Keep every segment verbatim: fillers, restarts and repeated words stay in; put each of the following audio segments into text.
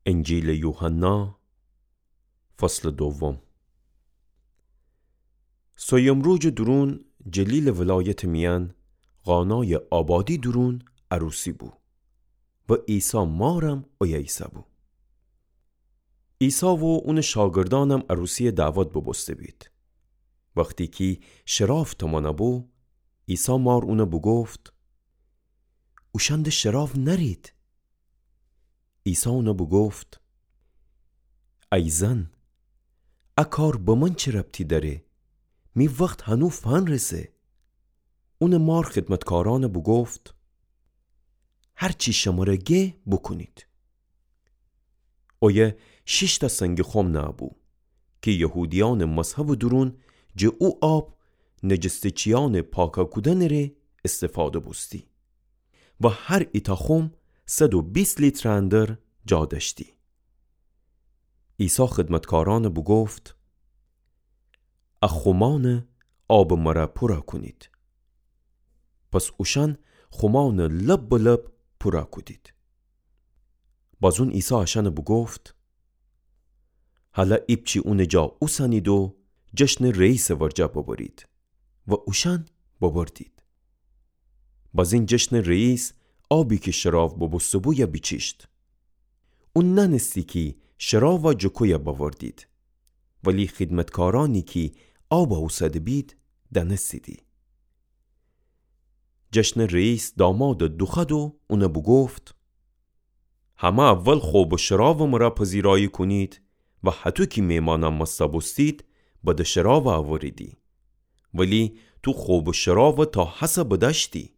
انجیلٚ یوحنا، فصلٚ دوم. سویم روجٚ دورون جلیلٚ ولایتٚ میأن قانایٚ آبادی دورون عروسی بو و عیسی مارم اویه ایسه‌بو. عیسی و اونٚ شاگردأنم عروسی‌یَ دعوت بوبوسته بید. وختی کی شراب تمانه بو، عیسی مار اونَ بوگفت: اوشأن ده شراب نأرید. عیسی اونَ بوگفت: ای زن، ا کار به من چه ربطی دأره؟ می وخت هنو فنرسه. اونٚ مار خدمتکارأنَ بوگفت: هر چی شمره گه بوکونید. اویه شیشتأ سنگٚ خم نهه‌بو کی یهودیأنٚ مذهبٚ دورون جٚه او آب نجسته‌چیأنٚ پاکَ کودنٚ ره استفاده بوستی و هر ایتأ خم صد و بیست لیترٚ اندر جا دأشتی. عیسی خدمتکارأنَ بوگفت: ا خمأنَ آبٚ مره پورَ کونید. پس اوشأن خمأنَ لب به لب پورَ کودید. بازون عیسی اشأنَ بوگفت: هلأ ایپچی اونٚ جا اوسنید و جشنٚ رئیسٚ ورجه ببرید. و اوشأن ببردید. بازین جشنٚ رئیس آبی کی شراب بوبوسته‌بویَ بیچیشت. او نأنستی کی شرابَ جٚه کویه بأوردید، ولی خدمتکارأنی کی آبَ اوسده بید دأنستیدی. جشنٚ رئیس دامادَ دوخوأد و اونَ بوگفت: همه اول خوبٚ شرابٚ مره پذیرایی کونید و هطو کی میمانأن مسته بوستید، بدٚ شرابَ اوریدی. ولی تو خوبٚ شرابَ تا هسه بدأشتی.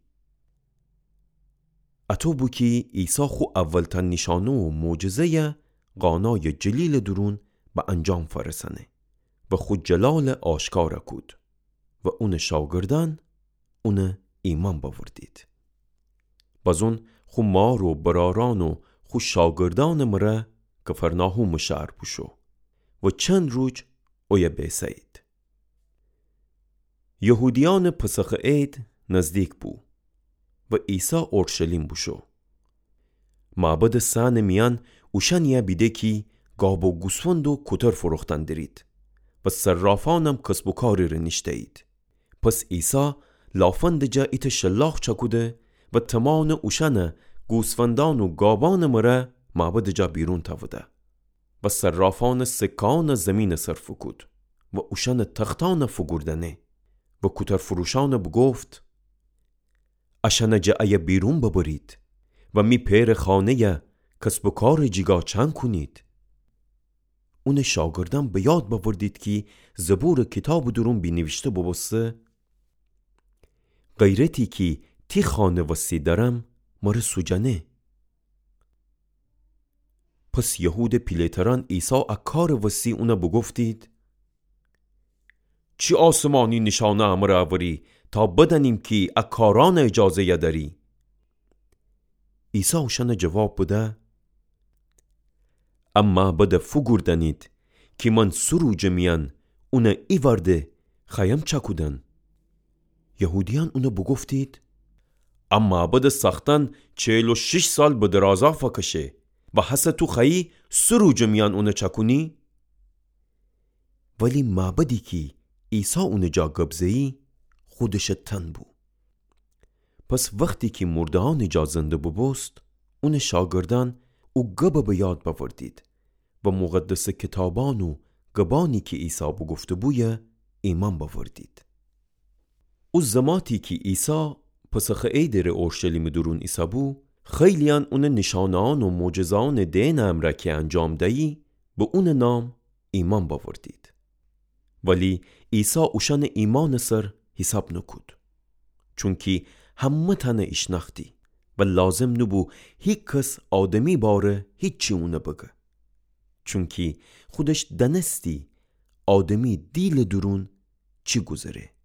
اطو بو کی عیسی خو اولتأ نیشأنه و معجزه‌یَ قانایٚ جلیلٚ دورون به انجام فأرسأنه و خو جلالَ آشکارَ کود و اونٚ شاگردأن اونَ ایمأن بأوردید. بازون خو مار و برأرأن و خو شاگردأنٚ مره کفرناحومٚ شهر بوشو و چند روج اویه بیسه‌یید. یهودیأنٚ پسخٚ عید نزدیک بو و عیسی اورشلیم بوشو. معبدٚ صحنٚ میأن اوشأنی‌یَ بیده کی گاب و گوسفند و کوتر فروختن درید و صرافأنم کسب و کاری ره نیشته‌یید. پس عیسی لافندٚ جا ایتأ شلاق چأکوده و تومانٚ اوشأنَ گوسفندأن و گابأنٚ مره معبدٚ جا بیرون تأوده و صرافأنٚ سکه‌یأنَ زیمینٚ سر فوکود و اوشأنٚ تختأنَ فوگوردأنه و کوترفروشأنَ بوگفت: اشأنَ جٚه ایه بیرون ببرید و می پئرٚ خانه‌یَ کسب و کارٚ جیگا چنگ کونید. اونٚ شاگردأن به یاد بأوردید کی زبورٚ کیتابٚ دورون بینیویشته بوبوسته: غیرتی کی تی خانه وستی دأرم، مره سوجأنه. پس یهودٚ پیله‌ترأن عیسی ا کارٚ وستی اونَ بوگفتید: چی آسمانی نیشأنه امره اوری تا بدأنیم کی ا کارأنٚ اجازه‌یَ دأری؟ عیسی اوشأنَ جواب بده: ا معبدَ فوگوردأنید کی من سه روجٚ میأن اونَ ایوأرده خوأیم چأکودن. یهودیأن اونَ بوگفتید: ا معبدٚ ساختأن چهل و شیش سال به درازا فأکشه و هسه تو خوأیی سه روجٚ میأن اونَ چأکونی؟ ولی معبدی کی عیسی اونٚ جا گب زه‌یی، خودشٚ تن بو. پس وختی کی مورده‌یأنٚ جا زنده بوبوست، اونٚ شاگردأن او گبَ به یاد بأوردید و مقدسٚ کیتابأن و گبأنی کی عیسی بوگفته‌بویه ایمأن بأوردید. او زماتی کی عیسی پسخٚ عیدٚ ره اورشلیمٚ دورون ایسه‌بو، خیلییأن اونٚ نیشأنه‌یأن و معجزه‌یأنٚ دئنٚ امرأ کی انجام دیی، به اونٚ نام ایمأن بأوردید. ولی عیسی اوشأنٚ ایمأنٚ سر حیساب نوکود، چونکی همه تأنَ ایشنأختی و لازم نوبو هیکس آدمی باره هیچی اونَ بگه، چونکی خودش دأنستی آدمی دیلٚ دورون چی گوذره.